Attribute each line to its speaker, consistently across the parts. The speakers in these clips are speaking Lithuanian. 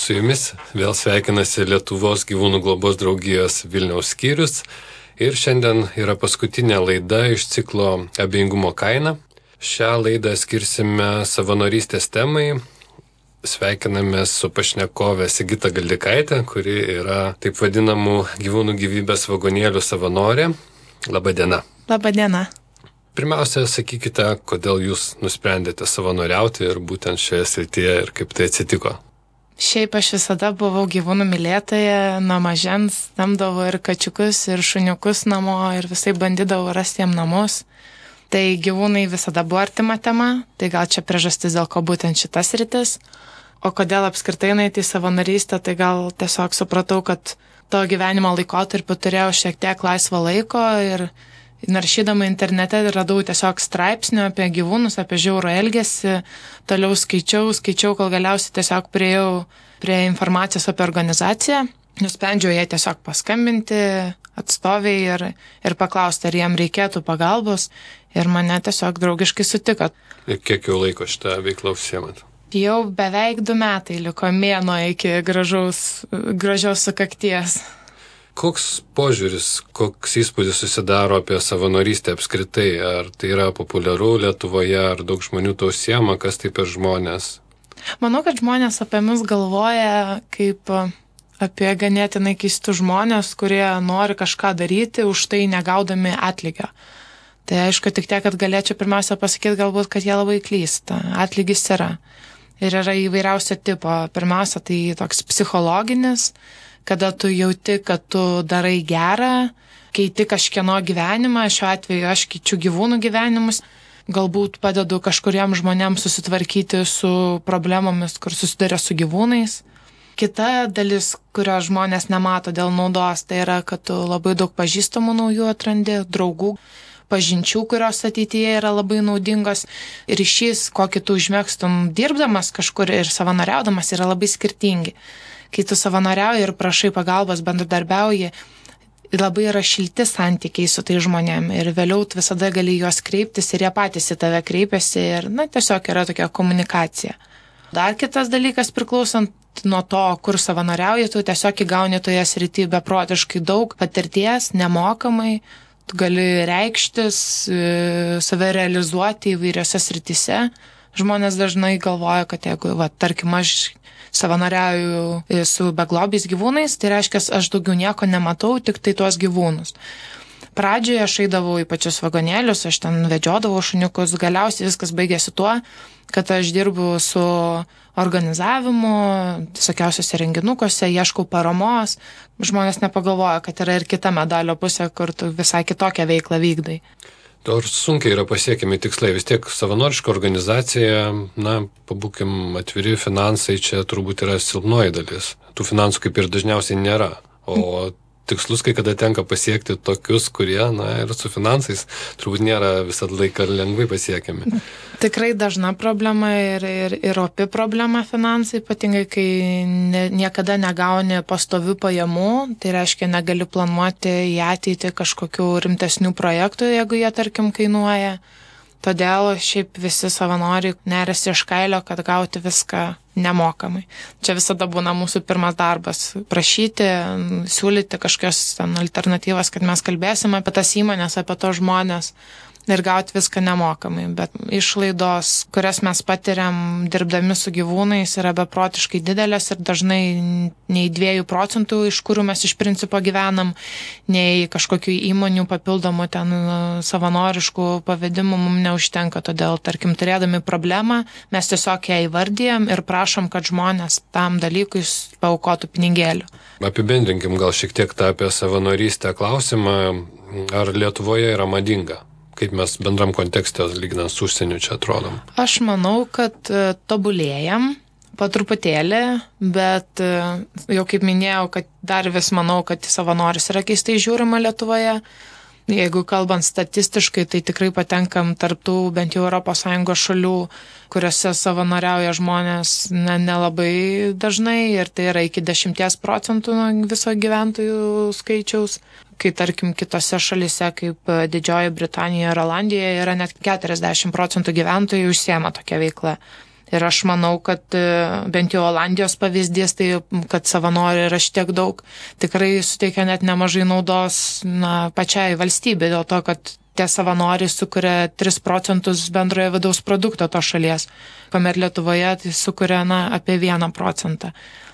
Speaker 1: Su jumis vėl sveikinasi Lietuvos gyvūnų globos draugijos Vilniaus skyrius ir šiandien yra paskutinė laida iš ciklo Abejingumo kaina. Šią laidą skirsime savanorystės temai. Sveikinamės su pašnekove Sigita Galdikaitė, kuri yra taip vadinamų gyvūnų gyvybės vagonėlių savanorė. Labadiena.
Speaker 2: Labadiena.
Speaker 1: Pirmiausia, sakykite, kodėl jūs nusprendėte savanoriauti ir būtent šioje srityje ir kaip tai atsitiko.
Speaker 2: Šiaip aš visada buvau gyvūnų mylėtoja, nuo mažens samdavau ir kačiukus, ir šuniukus namo, ir visai bandydavau rasti jiem namus. Tai gyvūnai visada buvo artima tema, tai gal čia priežastis, dėl ko būtent šitas sritis. O kodėl apskritai eiti į savanorystę, tai gal tiesiog supratau, kad to gyvenimo laikotarpiu turėjau šiek tiek laisvo laiko ir naršydama internete radau tiesiog straipsnių apie gyvūnus, apie žiaurų elgesį, toliau skaičiau, kol galiausiai tiesiog priėjau prie informacijos apie organizaciją. Nusprendžiau jai tiesiog paskambinti atstoviai ir paklausti, ar jiem reikėtų pagalbos, ir mane tiesiog draugiškai sutiko.
Speaker 1: Ir kiek jau laiko šitą veiklą užsiemat?
Speaker 2: Jau beveik 2 metai liko, mėnuo iki gražios sukakties.
Speaker 1: Koks požiūris, koks įspūdis susidaro apie savanorystę apskritai? Ar tai yra populiaru Lietuvoje, ar daug žmonių to užsiema, kas tai per žmonės?
Speaker 2: Manau, kad žmonės apie mus galvoja kaip apie ganėtinai keistus žmonės, kurie nori kažką daryti, už tai negaudami atlygio. Tai aišku, tik tiek, kad galėčiau pirmiausia pasakyti galbūt, kad jie labai klysta. Atlygis yra. Ir yra įvairiausio tipo. Pirmiausia, tai toks psichologinis, kada tu jauti, kad tu darai gerą, keiti kažkieno gyvenimą, šiuo atveju aš keičiu gyvūnų gyvenimus, galbūt padedu kažkuriem žmonėms susitvarkyti su problemomis, kur susiduria su gyvūnais. Kita dalis, kurio žmonės nemato dėl naudos, tai yra, kad tu labai daug pažįstamų naujų atrandi, draugų, pažinčių, kurios ateityje yra labai naudingos. Ryšys, kokį tu užmėgstum dirbdamas kažkur ir savanoriaudamas, yra labai skirtingi. Kai tu savanoriauji ir prašai pagalbos, bendradarbiauji, labai yra šilti santykiai su tai žmonėm ir vėliau tu visada gali juos kreiptis ir jie patys į tave kreipiasi ir tiesiog yra tokia komunikacija. Dar kitas dalykas, priklausant nuo to, kur savanoriauji, tu tiesiog įgauni toje srityje beprotiškai daug patirties, nemokamai, tu gali reikštis, save realizuoti įvairiose srityse. Žmonės dažnai galvoja, kad jeigu, tarkim, aš savanoriauju su beglobiais gyvūnais, tai reiškia, aš daugiau nieko nematau, tik tai tuos gyvūnus. Pradžioje aš eidavau į pačius vagonėlius, aš ten vedžiodavau šuniukus, galiausiai viskas baigėsi tuo, kad aš dirbu su organizavimu, visokiausiose renginukuose, ieškau paramos. Žmonės nepagalvoja, kad yra ir kita medalio pusė, kur tu visai kitokią veiklą vykdai.
Speaker 1: Ar sunkiai yra pasiekiami tikslai? Vis tiek savanoriška organizacija, pabūkim atviri, finansai čia turbūt yra silpnoji dalis. Tų finansų kaip ir dažniausiai nėra. O tikslus kai kada tenka pasiekti tokius, kurie, ir su finansais turbūt nėra visą laiką lengvai pasiekiami.
Speaker 2: Tikrai dažna problema ir opi problema finansai, ypatingai kai niekada negauni pastovių pajamų, tai reiškia negali planuoti į ateitį kažkokių rimtesnių projektų, jeigu jie, tarkim, kainuoja. Todėl šiaip visi savanoriai neriasi iš kailio, kad gauti viską nemokamai. Čia visada būna mūsų pirmas darbas – prašyti, siūlyti kažkokias alternatyvas, kad mes kalbėsime apie tas įmonės, apie tos žmonės ir gauti viską nemokamai. Bet išlaidos, kurias mes patiriam dirbdami su gyvūnais, yra beprotiškai didelės ir dažnai nei 2%, iš kurių mes iš principo gyvenam, nei kažkokių įmonių papildomų ten savanoriškų pavedimų mums neužtenka. Todėl, tarkim, turėdami problemą, mes tiesiog ją įvardyjam ir prašom, kad žmonės tam dalykui paaukotų pinigėlių.
Speaker 1: Apibendrinkim gal šiek tiek tą apie savanorystę klausimą. Ar Lietuvoje yra madinga? Kaip mes bendram kontekste, lyginant su užsieniu, čia atrodom?
Speaker 2: Aš manau, kad tobulėjam po truputėlį, bet jau kaip minėjau, kad dar vis manau, kad savanoris yra keistai žiūrima Lietuvoje. Jeigu kalbant statistiškai, tai tikrai patenkam tarptų bent jau ES šalių, kuriuose savanoriauja žmonės nelabai dažnai ir tai yra iki 10% nuo viso gyventojų skaičiaus. Kai tarkim kitose šalise kaip Didžioji Britanija ir Olandija yra net 40% gyventojų užsiema tokia veikla. Ir aš manau, kad bent jau Olandijos pavyzdys, tai kad savanorių yra šitiek daug, tikrai suteikia net nemažai naudos pačiai valstybei, dėl to, kad tie savanoriai sukuria 3% bendrojo vidaus produkto to šalies, kuomet Lietuvoje tai sukuria apie 1%.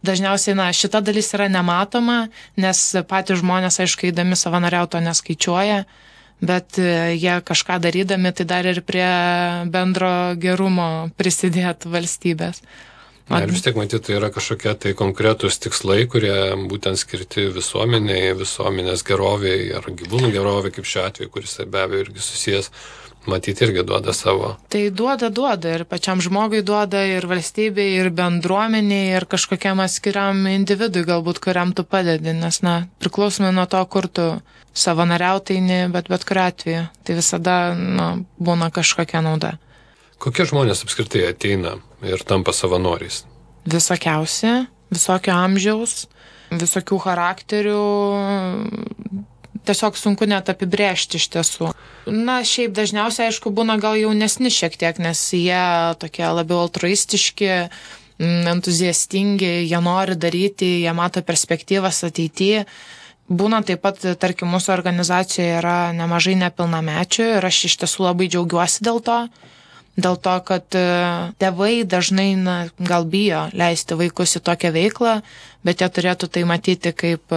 Speaker 2: Dažniausiai šita dalis yra nematoma, nes patys žmonės, aišku, eidami savanoriauti to neskaičiuoja, bet jie kažką darydami, tai dar ir prie bendro gerumo prisidėt valstybės.
Speaker 1: Ir vis tiek matyti, tai yra kažkokie tai konkretūs tikslai, kurie būtent skirti visuomeniai, visuomenės geroviai ar gyvūnų geroviai, kaip šiuo atveju, kuris be abejo irgi susijęs, matyti irgi duoda savo. Tai
Speaker 2: duoda ir pačiam žmogui duoda, ir valstybei, ir bendruomeniai, ir kažkokiam atskiriam individui galbūt, kuriam tu padedi, nes priklausomai nuo to, kur tu savanoriautaini, bet kuriuo atveju, tai visada būna kažkokia nauda.
Speaker 1: Kokie žmonės apskritai ateina ir tampa savanoriais?
Speaker 2: Visokiausi, visokio amžiaus, visokių charakterių, tiesiog sunku net apibrėžti iš tiesų. Šiaip dažniausiai, aišku, būna gal jaunesni šiek tiek, nes jie tokie labiau altruistiški, entuziastingi, jie nori daryti, jie mato perspektyvas ateityje. Būna taip pat, tarkim, mūsų organizacijoje yra nemažai nepilnamečių ir aš iš tiesų labai džiaugiuosi dėl to, kad tėvai dažnai gal bijo leisti vaikus į tokią veiklą, bet jie turėtų tai matyti kaip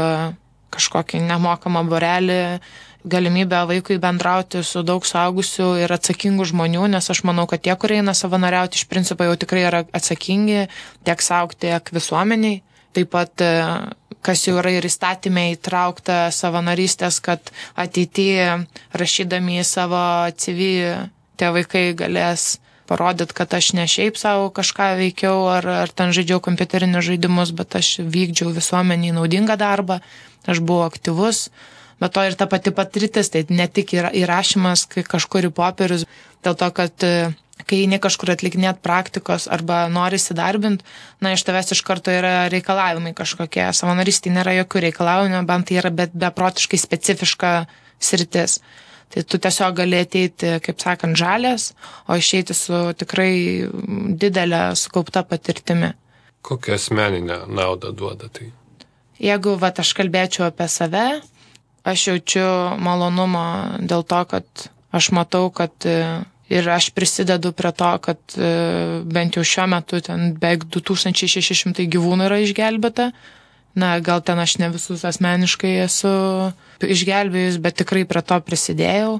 Speaker 2: kažkokį nemokamą būrelį, galimybę vaikui bendrauti su daug suaugusių ir atsakingų žmonių, nes aš manau, kad tie, kurie eina savanoriauti, iš principo jau tikrai yra atsakingi tiek sau, tiek visuomeniai. Taip pat, kas jau yra ir įstatymė įtraukta savanorystės, kad ateityje rašydami į savo CV tie vaikai galės parodyti, kad aš ne šiaip savo kažką veikiau ar ten žaidžiau kompiuterinius žaidimus, bet aš vykdžiau visuomeniai naudingą darbą, aš buvau aktyvus. Bet to ir ta pati patirtis, tai ne tik įrašymas kažkur į popierius, dėl to, kad kai eini kažkur atlikinėt praktikos arba nori įsidarbinti, iš tavęs iš karto yra reikalavimai kažkokie. Savanorystėje nėra jokių reikalavimų, bent tai yra beprotiškai specifiška sritis. Tai tu tiesiog gali ateiti, kaip sakant, žalias, o išeiti su tikrai didelė sukaupta patirtimi.
Speaker 1: Kokią asmeninę naudą duoda tai?
Speaker 2: Jeigu aš kalbėčiau apie save, aš jaučiu malonumą dėl to, kad aš matau, kad ir aš prisidedu prie to, kad bent jau šiuo metu ten beveik 2600 gyvūnų yra išgelbėta. Gal ten aš ne visus asmeniškai esu išgelbėjus, bet tikrai prie to prisidėjau.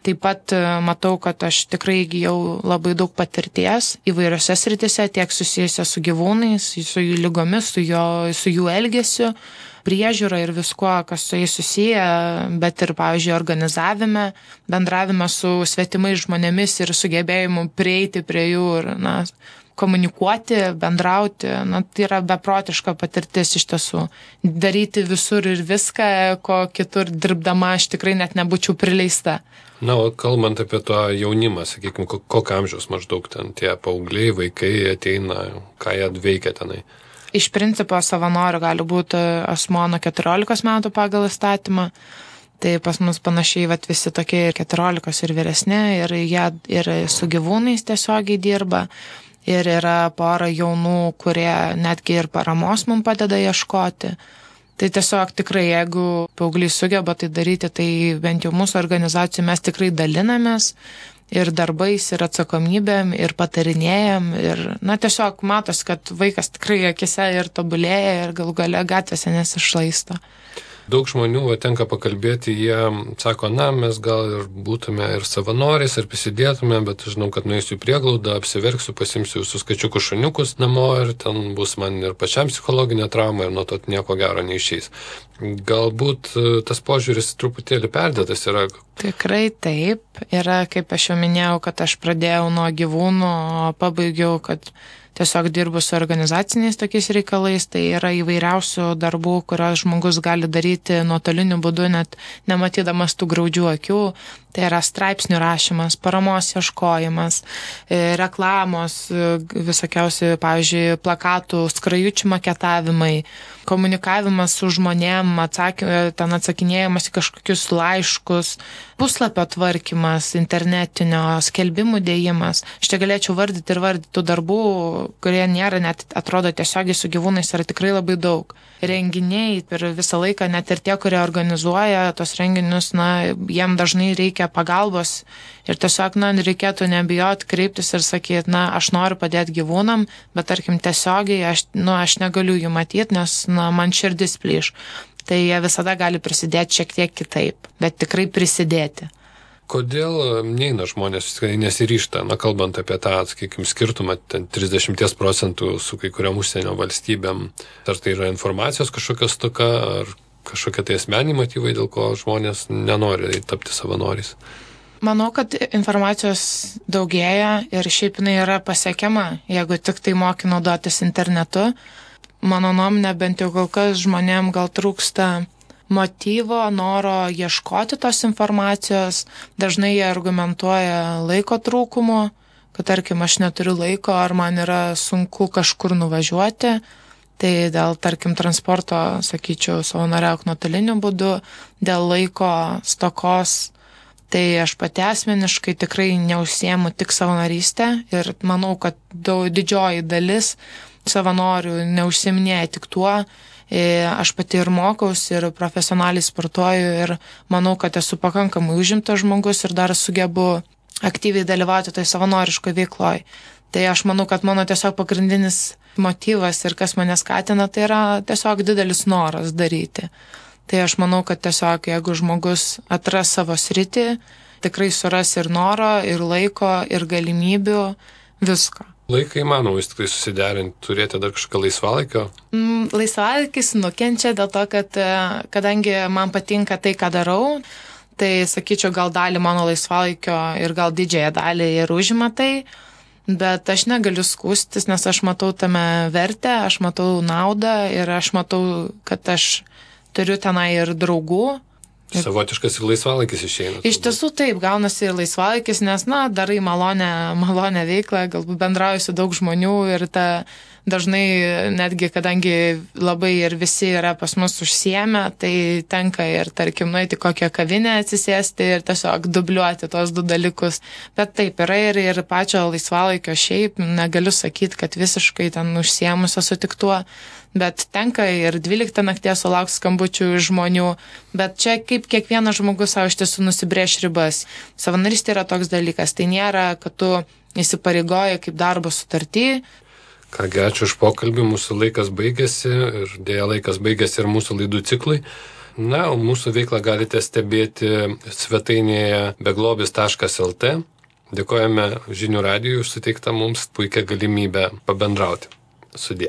Speaker 2: Taip pat matau, kad aš tikrai įgijau labai daug patirties įvairiose sritise, tiek susijusia su gyvūnais, su jų lygomis, su jų elgesiu, priežiūra ir viskuo, kas su jais susiję, bet ir, pavyzdžiui, organizavime, bendravime su svetimais žmonėmis ir sugebėjimu prieiti prie jų ir, komunikuoti, bendrauti, tai yra beprotiška patirtis iš tiesų. Daryti visur ir viską, ko kitur dirbdama aš tikrai net nebūčiau prileista.
Speaker 1: O kalbant apie to jaunimą, sakykime, kokio amžiaus maždaug ten tie paaugliai, vaikai ateina, ką jie veikia tenai?
Speaker 2: Iš principo savanorių gali būti asmuo nuo 14 metų pagal įstatymą. Tai pas mus panašiai visi tokie ir 14 ir vyresni, ir jie ir su gyvūnais tiesiogiai dirba. Ir yra pora jaunų, kurie netgi ir paramos mums padeda ieškoti. Tai tiesiog tikrai, jeigu paauglys sugeba tai daryti, tai bent jau mūsų organizacijų mes tikrai dalinamės ir darbais, ir atsakomybėm, ir patarinėjam. Ir, tiesiog matos, kad vaikas tikrai akise ir tobulėja ir galų gale gatvėse nesišlaisto.
Speaker 1: Daug žmonių tenka pakalbėti, jie sako, mes gal ir būtume ir savanoriais, ir prisidėtume, bet žinau, kad nueisiu į prieglaudą, apsiverksiu, pasimsiu visus kačiukus šuniukus namo ir ten bus man ir pačiam psichologinė trauma ir nuo to nieko gero neišeis. Galbūt tas požiūris truputėlį perdėtas yra.
Speaker 2: Tikrai taip. Yra, kaip aš jau minėjau, kad aš pradėjau nuo gyvūnų, o pabaigiau, kad tiesiog dirbu su organizaciniais tokiais reikalais, tai yra įvairiausių darbų, kurios žmogus gali daryti nuotoliniu būdu, net nematydamas tų graudžių akių. Tai yra straipsnių rašymas, paramos ieškojimas, reklamos, visokiausi, pavyzdžiui, plakatų, skrajučių maketavimai, komunikavimas su žmonėm, ten atsakinėjimas į kažkokius laiškus, puslapio tvarkymas, internetinio skelbimų dėjimas. Aš čia galėčiau vardyti tų darbų, kurie nėra net atrodo tiesiogiai su gyvūnais, yra tikrai labai daug. Renginiai per visą laiką, net ir tie, kurie organizuoja tos renginius, jiem dažnai reikia pagalbos ir tiesiog, reikėtų nebijoti kreiptis ir sakyti, aš noriu padėti gyvūnam, bet tarkim tiesiogiai aš negaliu jų matyti, nes, man širdis plyš. Tai jie visada gali prisidėti šiek tiek kitaip, bet tikrai prisidėti.
Speaker 1: Kodėl neina žmonės nesiryžta, kalbant apie tą, sakykime, skirtumą 30% su kai kuriam užsienio valstybėm? Ar tai yra informacijos kažkokia stoka, ar kažkokie tai asmeniniai motyvai, dėl ko žmonės nenori tapti savanoriais?
Speaker 2: Manau, kad informacijos daugėja ir šiaip jinai yra pasiekiama, jeigu tik tai moki naudotis internetu. Mano nuomonė, bent jau kol kas žmonėm gal trūksta motyvo, noro ieškoti tos informacijos. Dažnai jie argumentuoja laiko trūkumu, kad tarkim aš neturiu laiko ar man yra sunku kažkur nuvažiuoti. Tai dėl, tarkim, transporto, sakyčiau, savanoriauk nuotoliniu būdu, dėl laiko stokos. Tai aš pati asmeniškai tikrai neužsiemu tik savanorystę ir manau, kad didžioji dalis savanorių neužsiminėja tik tuo. Aš pati ir mokausi, ir profesionaliai sportuoju ir manau, kad esu pakankamai užimtas žmogus ir dar sugebu aktyviai dalyvauti toj savanoriškoj veikloj. Tai aš manau, kad mano tiesiog pagrindinis motyvas ir kas mane skatina, tai yra tiesiog didelis noras daryti. Tai aš manau, kad tiesiog jeigu žmogus atras savo sritį, tikrai suras ir noro, ir laiko, ir galimybių, visko.
Speaker 1: Laiką įmanoma vis tik tai susiderinti, turėti dar kažką laisvalaikio?
Speaker 2: Laisvalaikis nukenčia dėl to, kad kadangi man patinka tai, ką darau, tai sakyčiau, gal dalį mano laisvalaikio ir gal didžiąją dalį ir užima tai, bet aš negaliu skųstis, nes aš matau tame vertę, aš matau naudą ir aš matau, kad aš turiu tenai ir draugų.
Speaker 1: Savotiškas ir laisvalaikis išeina.
Speaker 2: Iš tiesų taip, gaunasi ir laisvalaikis, nes, darai malonę veiklą, galbūt bendrauji su daug žmonių ir dažnai netgi, kadangi labai ir visi yra pas mus užsiėmę, tai tenka ir, tarkim, nueiti kokią kavinę atsisėsti ir tiesiog dubliuoti tos du dalykus. Bet taip, yra ir pačio laisvalaikio šiaip, negaliu sakyti, kad visiškai ten užsiėmus esu tik tuo. Bet tenka ir 12 nakties sulaukti skambučių iš žmonių, bet čia kaip kiekvienas žmogus savo iš tiesų nusibrėš ribas. Savanorystė yra toks dalykas, tai nėra, kad tu įsipareigoji kaip darbo sutartį.
Speaker 1: Kągi, ačiū už pokalbį, mūsų laikas baigėsi ir dėja laikas baigėsi ir mūsų laidų ciklui. O mūsų veiklą galite stebėti svetainėje beglobis.lt. Dėkojame Žinių radijui už suteiktą mums puikią galimybę pabendrauti. Sudie.